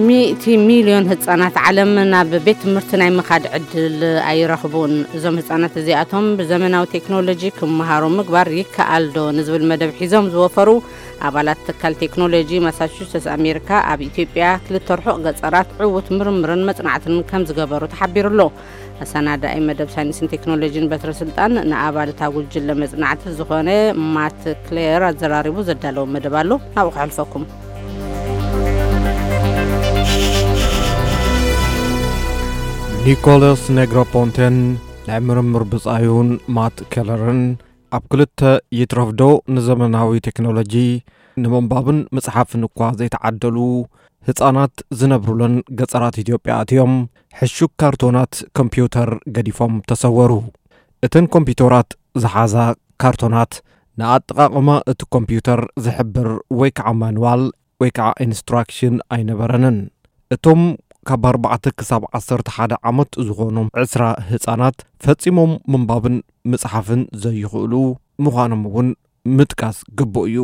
ሚእቲ ሚልዮን ህጻናት ዓለም ናብ ቤት ትምህርቲ ናይ ምኻድ ዕድል ኣይረኽቡን። እዞም ህጻናት እዚኣቶም ብዘመናዊ ቴክኖሎጂ ክመሃሩ ምግባር ይከኣል ዶ ንዝብል መደብ ሒዞም ዝወፈሩ ኣባላት ትካል ቴክኖሎጂ ማሳቹሴትስ ኣሜሪካ፣ ኣብ ኢትዮጵያ ክልተ ርሑቕ ገጸራት ዕዉት ምርምርን መጽናዕትን ከም ዝገበሩ ተሓቢሩ ኣሎ። ኣሰናዳኢ መደብ ሳይንስን ቴክኖሎጂን በትረ ስልጣን ንኣባል እታ ጉጅለ መጽናዕቲ ዝኾነ ማት ክሌር ኣዘራሪቡ ዘዳለወ መደብ ኣሎ። ናብኡ ከሕልፈኩም። ኒኮላስ ኔግሮፖንቴን ናይ ምርምር ብጻዩን ማት ኬለርን ኣብ ክልተ ይትረፍዶ ንዘመናዊ ቴክኖሎጂ ንምንባብን ምጽሓፍን እኳ ዘይተዓደሉ ህጻናት ዝነብሩለን ገጸራት ኢትዮጵያ ኣትዮም ሕሹክ ካርቶናት ኮምፒውተር ገዲፎም ተሰወሩ። እተን ኮምፒውተራት ዝሓዛ ካርቶናት ንኣጠቓቕማ እቲ ኮምፒውተር ዝሕብር ወይ ከዓ ማንዋል ወይ ከዓ ኢንስትራክሽን ኣይነበረንን። እቶም ካብ ኣርባዕተ ክሳብ ዓሰርተ ሓደ ዓመት ዝኾኖም ዕስራ ህጻናት ፈጺሞም ምንባብን ምጽሓፍን ዘይኽእሉ ምዃኖም እውን ምጥቃስ ግቡእ እዩ።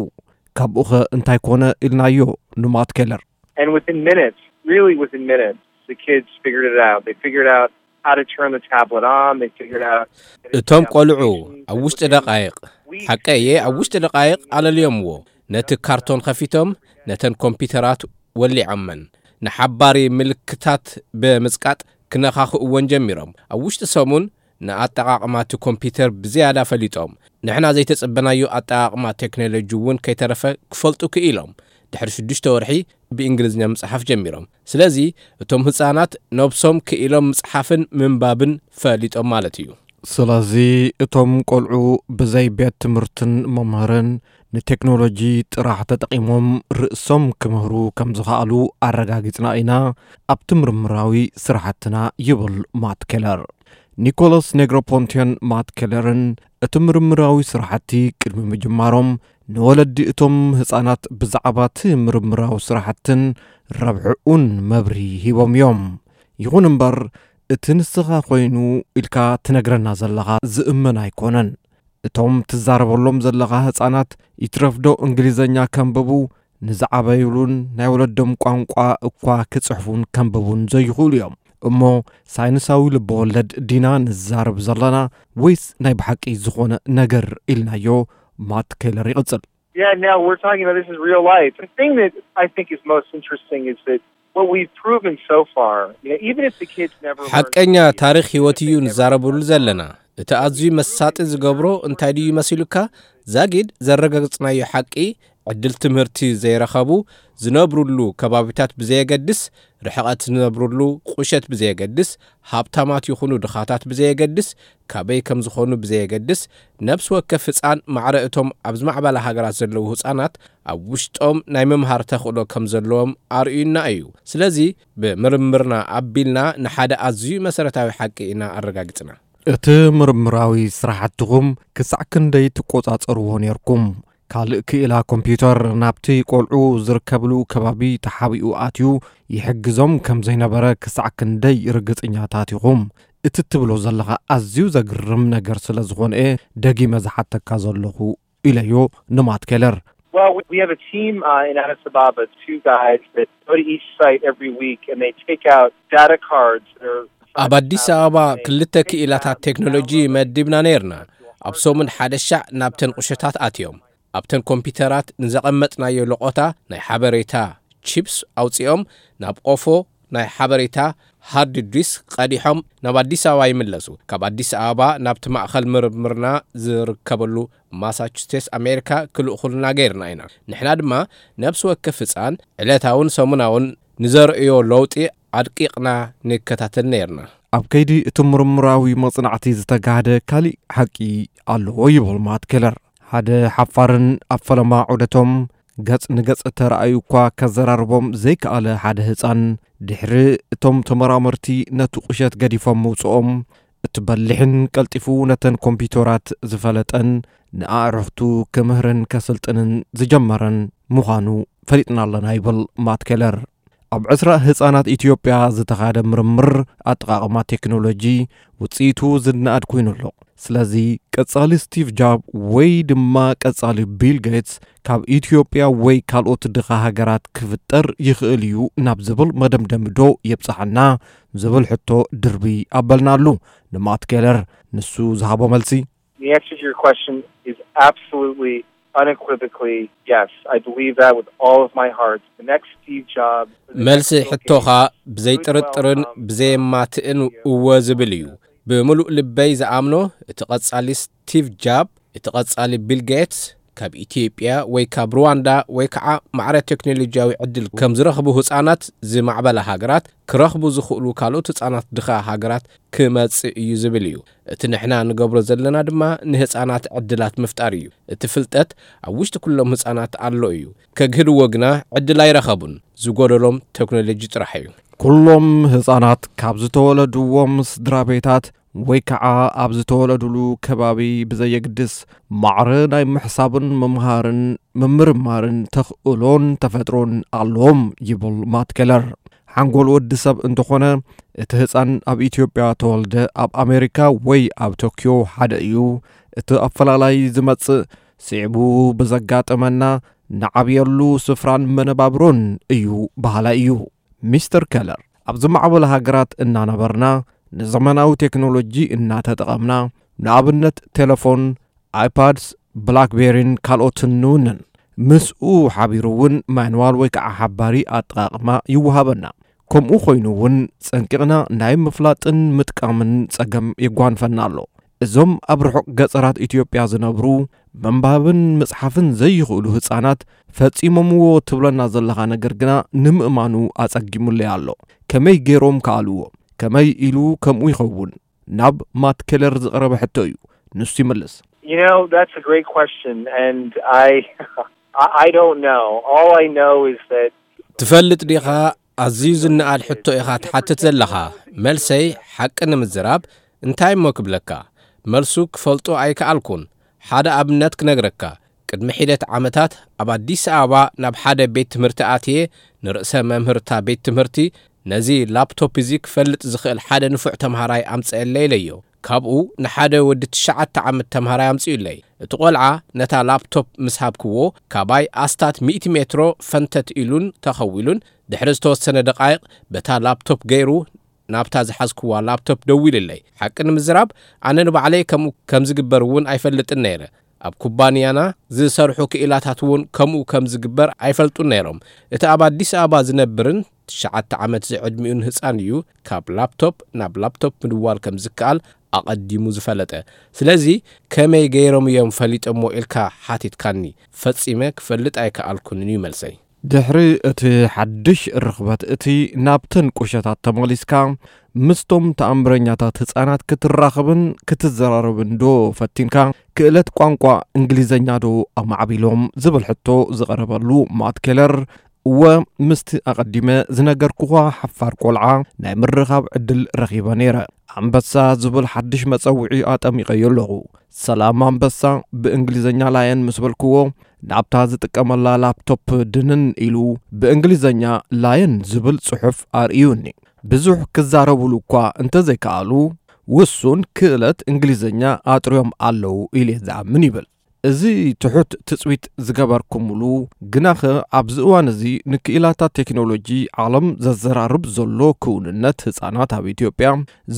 ካብኡኸ እንታይ ኮነ ኢልናዮ ንማት ኬለር። And within minutes, really within minutes, the kids figured it out. They figured out how to turn the tablet on. They figured out እቶም ቆልዑ ኣብ ውሽጢ ደቃይቕ፣ ሓቀየ ኣብ ውሽጢ ደቃይቕ ኣለልዮምዎ። ነቲ ካርቶን ከፊቶም ነተን ኮምፒውተራት ወሊዖመን። ንሓባሪ ምልክታት ብምጽቃጥ ክነኻኽእወን ጀሚሮም። ኣብ ውሽጢ ሰሙን ንኣጠቓቕማ እቲ ኮምፒውተር ብዝያዳ ፈሊጦም። ንሕና ዘይተጸበናዮ ኣጠቓቕማ ቴክኖሎጂ እውን ከይተረፈ ክፈልጡ ክኢሎም። ድሕሪ ሽዱሽተ ወርሒ ብእንግሊዝኛ ምጽሓፍ ጀሚሮም። ስለዚ እቶም ህጻናት ነብሶም ክኢሎም ምጽሓፍን ምንባብን ፈሊጦም ማለት እዩ። ስለዚ እቶም ቆልዑ ብዘይ ቤት ትምህርትን መምህርን ንቴክኖሎጂ ጥራሕ ተጠቒሞም ርእሶም ክምህሩ ከም ዝኸኣሉ ኣረጋጊጽና ኢና ኣብቲ ምርምራዊ ስራሕትና ይብል ማት ኬለር። ኒኮላስ ኔግሮፖንቴን ማት ኬለርን እቲ ምርምራዊ ስራሕቲ ቅድሚ ምጅማሮም ንወለዲ እቶም ህጻናት ብዛዕባ እቲ ምርምራዊ ስራሕትን ረብሕኡን መብርሂ ሂቦም እዮም። ይኹን እምበር እቲ ንስኻ ኮይኑ ኢልካ ትነግረና ዘለኻ ዝእመን ኣይኮነን። እቶም ትዛረበሎም ዘለኻ ህጻናት ይትረፍዶ እንግሊዘኛ ከንብቡ ንዝዓበዩሉን ናይ ወለዶም ቋንቋ እኳ ክጽሕፉን ከንብቡን ዘይኽእሉ እዮም። እሞ ሳይንሳዊ ልበወለድ ዲና ንዛረብ ዘለና ወይስ ናይ ብሓቂ ዝኾነ ነገር ኢልናዮ? ማት ኬለር ይቕጽል። Yeah, now we're talking about this is real life. The thing that I think is most interesting is that what we've proven so far, you know, even if the kids never learn ሓቀኛ ታሪኽ ህይወት እዩ ንዛረብሉ ዘለና። እቲ ኣዝዩ መሳጢ ዝገብሮ እንታይ ድዩ መሲሉካ? ዛጊድ ዘረጋግጽናዮ ሓቂ ዕድል ትምህርቲ ዘይረኸቡ ዝነብሩሉ ከባቢታት ብዘየገድስ፣ ርሕቐት ዝነብሩሉ ቁሸት ብዘየገድስ፣ ሃብታማት ይኹኑ ድኻታት ብዘየገድስ፣ ካበይ ከም ዝኾኑ ብዘየገድስ፣ ነብሲ ወከፍ ህጻን ማዕረ እቶም ኣብ ዝማዕበላ ሃገራት ዘለዉ ህጻናት ኣብ ውሽጦም ናይ ምምሃር ተኽእሎ ከም ዘለዎም ኣርእዩና እዩ። ስለዚ ብምርምርና ኣቢልና ንሓደ ኣዝዩ መሰረታዊ ሓቂ ኢና ኣረጋጊጽና። እቲ ምርምራዊ ስራሕትኹም ክሳዕ ክንደይ ትቆጻጸርዎ ነርኩም? ካልእ ክኢላ ኮምፒውተር ናብቲ ቆልዑ ዝርከብሉ ከባቢ ተሓቢኡ ኣትዩ ይሕግዞም ከም ዘይነበረ ክሳዕ ክንደይ ርግጽኛታት ኢኹም? እቲ ትብሎ ዘለኻ ኣዝዩ ዘግርም ነገር ስለ ዝኾነ እየ ደጊመ ዝሓተካ ዘለኹ ኢለዮ ንማት ኬለር። Well, we, we have a team uh, in Addis Ababa, two guys that go to each site every week and they take out data cards that are ኣብ ኣዲስ ኣበባ ክልተ ክኢላታት ቴክኖሎጂ መዲብና ነይርና። ኣብ ሰሙን ሓደ ሻዕ ናብተን ቁሸታት ኣትዮም ኣብተን ኮምፒውተራት ንዘቐመጥናዮ ለቖታ ናይ ሓበሬታ ቺፕስ ኣውጺኦም ናብ ቆፎ ናይ ሓበሬታ ሃርድ ዲስክ ቀዲሖም ናብ ኣዲስ ኣበባ ይምለሱ። ካብ ኣዲስ ኣበባ ናብቲ ማእኸል ምርምርና ዝርከበሉ ማሳቹሴትስ ኣሜሪካ ክልእኹልና ገይርና ኢና። ንሕና ድማ ነብሲ ወከፍ ህፃን ዕለታውን ሰሙናውን ንዘርእዮ ለውጢ ኣድቂቕና ንከታተል ነይርና። ኣብ ከይዲ እቲ ምርምራዊ መጽናዕቲ ዝተጋህደ ካሊእ ሓቂ ኣለዎ ይብል ማት ኬለር። ሓደ ሓፋርን ኣብ ፈለማ ዑደቶም ገጽ ንገጽ ተራእዩ እኳ ከዘራርቦም ዘይከኣለ ሓደ ህጻን ድሕሪ እቶም ተመራመርቲ ነቲ ቁሸት ገዲፎም ምውጽኦም እቲ በሊሕን ቀልጢፉ ነተን ኮምፒውተራት ዝፈለጠን ንኣዕሩኽቱ ክምህርን ከስልጥንን ዝጀመረን ምዃኑ ፈሊጥና ኣለና ይብል ማት ኬለር። ኣብ ዕስራ ህጻናት ኢትዮጵያ ዝተኻደ ምርምር ኣጠቓቕማ ቴክኖሎጂ ውጽኢቱ ዝነኣድ ኮይኑ ኣሎ። ስለዚ ቀጻሊ ስቲቭ ጃብ ወይ ድማ ቀጻሊ ቢል ጌትስ ካብ ኢትዮጵያ ወይ ካልኦት ድኻ ሃገራት ክፍጠር ይኽእል እዩ ናብ ዝብል መደምደሚ ዶ የብጽሓና ዝብል ሕቶ ድርቢ ኣበልናሉ። ንማት ኬለር ንሱ ዝሃቦ መልሲ፣ The answer to your question is absolutely, unequivocally, yes. I believe that with all of my heart. The next Steve Jobs, the next መልሲ Bill ሕቶኻ Gates, ብዘይ ጥርጥርን ብዘይ ማትእን እወ ዝብል እዩ። ብምሉእ ልበይ ዝኣምኖ እቲ ቀጻሊ ስቲቭ ጃብ፣ እቲ ቀጻሊ ቢል ጌትስ ካብ ኢትዮጵያ ወይ ካብ ሩዋንዳ ወይ ከዓ ማዕረ ቴክኖሎጂያዊ ዕድል ከም ዝረኽቡ ህፃናት ዝማዕበላ ሃገራት ክረኽቡ ዝኽእሉ ካልኦት ህፃናት ድኻ ሃገራት ክመጽእ እዩ ዝብል እዩ። እቲ ንሕና ንገብሮ ዘለና ድማ ንህፃናት ዕድላት ምፍጣር እዩ። እቲ ፍልጠት ኣብ ውሽጢ ኩሎም ህፃናት ኣሎ እዩ። ከግህድዎ ግና ዕድል ኣይረኸቡን። ዝጎደሎም ቴክኖሎጂ ጥራሕ እዩ። ኩሎም ህፃናት ካብ ዝተወለድዎም ስድራ ቤታት ወይ ከዓ ኣብ ዝተወለዱሉ ከባቢ ብዘየግድስ ማዕረ ናይ ምሕሳብን ምምሃርን ምምርማርን ተኽእሎን ተፈጥሮን ኣለዎም ይብል ማት ኬለር። ሓንጎል ወዲ ሰብ እንተኾነ እቲ ህፃን ኣብ ኢትዮጵያ ተወልደ ኣብ ኣሜሪካ ወይ ኣብ ቶኪዮ ሓደ እዩ። እቲ ኣፈላላይ ዝመፅእ ስዒቡ ብዘጋጠመና ንዓብየሉ ስፍራን መነባብሮን እዩ በሃላይ እዩ። ሚስተር ኬለር፣ ኣብ ዝማዕበለ ሃገራት እናነበርና ንዘመናዊ ቴክኖሎጂ እናተጠቐምና ንኣብነት ቴሌፎን፣ ኣይፓድስ፣ ብላክቤሪን ካልኦትን ንውንን። ምስኡ ሓቢሩ እውን ማንዋል ወይ ከዓ ሓባሪ ኣጠቓቕማ ይወሃበና። ከምኡ ኮይኑ እውን ጸንቂቕና ናይ ምፍላጥን ምጥቃምን ጸገም የጓንፈና ኣሎ። እዞም ኣብ ርሑቕ ገጸራት ኢትዮጵያ ዝነብሩ ምንባብን ምጽሓፍን ዘይኽእሉ ህጻናት ፈጺሞምዎ ትብለና ዘለኻ ነገር ግና ንምእማኑ ኣጸጊሙለይ ኣሎ። ከመይ ገይሮም ከኣልዎ? ከመይ ኢሉ ከምኡ ይኸውን? ናብ ማት ኬለር ዝቐረበ ሕቶ እዩ። ንሱ ይምልስ። You know, that's a great question, and I, I I don't know. All I know is that ትፈልጥ ዲኻ? ኣዝዩ ዝነኣድ ሕቶ ኢኻ ትሓትት ዘለኻ። መልሰይ ሓቂ ንምዝራብ እንታይ እሞ ክብለካ? መልሱ ክፈልጦ ኣይከኣልኩን። ሓደ ኣብነት ክነግረካ። ቅድሚ ሒደት ዓመታት ኣብ ኣዲስ ኣበባ ናብ ሓደ ቤት ትምህርቲ ኣትየ ንርእሰ መምህርታ ቤት ትምህርቲ ነዚ ላፕቶፕ እዚ ክፈልጥ ዝኽእል ሓደ ንፉዕ ተምሃራይ ኣምፀአለይ ኢለዮ። ካብኡ ንሓደ ወዲ ትሽዓተ ዓመት ተምሃራይ ኣምፅኡለይ። እቲ ቆልዓ ነታ ላፕቶፕ ምስ ሃብክዎ ካባይ ኣስታት ሚእቲ ሜትሮ ፈንተት ኢሉን ተኸዊሉን ድሕሪ ዝተወሰነ ደቃይቕ በታ ላፕቶፕ ገይሩ ናብታ ዝሓዝክዋ ላፕቶፕ ደዊሉለይ። ሓቂ ንምዝራብ ኣነ ንባዕለይ ከምኡ ከም ዝግበር እውን ኣይፈልጥን ነይረ። ኣብ ኩባንያና ዝሰርሑ ክኢላታት እውን ከምኡ ከም ዝግበር ኣይፈልጡን ነይሮም። እቲ ኣብ ኣዲስ ኣበባ ዝነብርን ትሽዓተ ዓመት ዝዕድሚኡን ህፃን እዩ ካብ ላፕቶፕ ናብ ላፕቶፕ ምድዋል ከም ዝከኣል ኣቐዲሙ ዝፈለጠ። ስለዚ ከመይ ገይሮም እዮም ፈሊጦሞ ኢልካ ሓቲትካኒ። ፈጺመ ክፈልጥ ኣይከኣልኩንን እዩ መልሰይ። ድሕሪ እቲ ሓድሽ ርኽበት እቲ ናብተን ቁሸታት ተመሊስካ ምስቶም ተኣምረኛታት ህፃናት ክትራኸብን ክትዘራረብን ዶ ፈቲንካ? ክእለት ቋንቋ እንግሊዘኛ ዶ ኣማዕቢሎም ዝብል ሕቶ ዝቐረበሉ ማት ኬለር፣ እወ፣ ምስቲ ኣቐዲመ ዝነገርኩኻ ሓፋር ቆልዓ ናይ ምርኻብ ዕድል ረኺበ ነይረ። ኣንበሳ ዝብል ሓድሽ መጸውዒ ኣጠሚቐዮ ኣለኹ። ሰላም ኣንበሳ፣ ብእንግሊዘኛ ላየን ምስ በልክዎ፣ ናብታ ዝጥቀመላ ላፕቶፕ ድንን ኢሉ ብእንግሊዘኛ ላየን ዝብል ጽሑፍ ኣርእዩኒ። ብዙሕ ክዛረቡሉ እኳ እንተዘይከኣሉ፣ ውሱን ክእለት እንግሊዘኛ ኣጥርዮም ኣለዉ ኢለ ዝኣምን ይብል። እዚ ትሑት ትጽቢት ዝገበርኩምሉ፣ ግናኸ ኣብዚ እዋን እዚ ንክኢላታት ቴክኖሎጂ ዓለም ዘዘራርብ ዘሎ ክውንነት ህጻናት ኣብ ኢትዮጵያ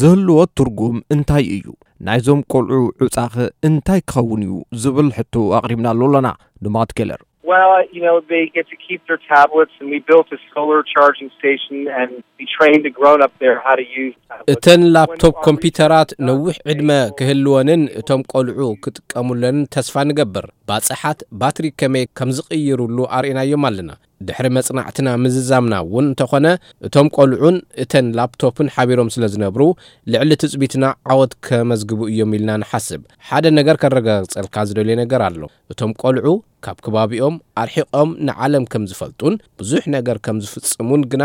ዝህልዎ ትርጉም እንታይ እዩ? ናይዞም ቆልዑ ዕጻኸ እንታይ ክኸውን እዩ ዝብል ሕቶ ኣቕሪብናሉ ኣለና ንማት ኬለር። Well, you know, they get to keep their tablets, and we built a solar charging station, and we trained a grown up there how to use tablets. እተን ላፕቶፕ ኮምፒውተራት ነዊሕ ዕድመ ክህልወንን እቶም ቆልዑ ክጥቀሙለንን ተስፋ ንገብር። ባጽሓት ባትሪ ከመይ ከም ዝቕይሩሉ ኣርእናዮም ኣለና። ድሕሪ መጽናዕትና ምዝዛምና እውን እንተኾነ እቶም ቆልዑን እተን ላፕቶፕን ሓቢሮም ስለ ዝነብሩ ልዕሊ ትጽቢትና ዓወት ከመዝግቡ እዮም ኢልና ንሓስብ። ሓደ ነገር ከረጋግጸልካ ዝደልዮ ነገር ኣሎ። እቶም ቆልዑ ካብ ከባቢኦም ኣርሒቖም ንዓለም ከም ዝፈልጡን ብዙሕ ነገር ከም ዝፍጽሙን ግና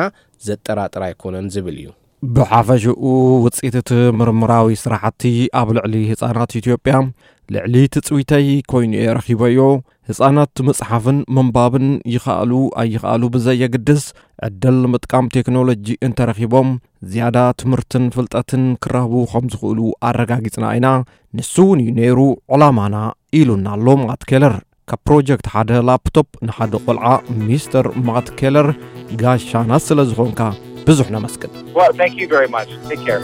ዘጠራጥር ኣይኮነን ዝብል እዩ። ብሓፈሽኡ ውፅኢት እቲ ምርምራዊ ስራሕቲ ኣብ ልዕሊ ህፃናት ኢትዮጵያ ልዕሊ ትፅቢተይ ኮይኑ እየ ረኺበዮ። ህፃናት ምፅሓፍን ምንባብን ይኸኣሉ ኣይኸኣሉ ብዘየግድስ ዕድል ምጥቃም ቴክኖሎጂ እንተረኺቦም ዝያዳ ትምህርትን ፍልጠትን ክረኽቡ ከም ዝኽእሉ ኣረጋጊፅና ኢና። ንሱ እውን እዩ ነይሩ ዕላማና ኢሉና ኣሎ ማት ኬለር። ካብ ፕሮጀክት ሓደ ላፕቶፕ ንሓደ ቆልዓ ሚስተር ማት ኬለር ጋሻና ስለ ዝኾንካ ብዙሕ ነመስግን። Well, thank you very much. Take care.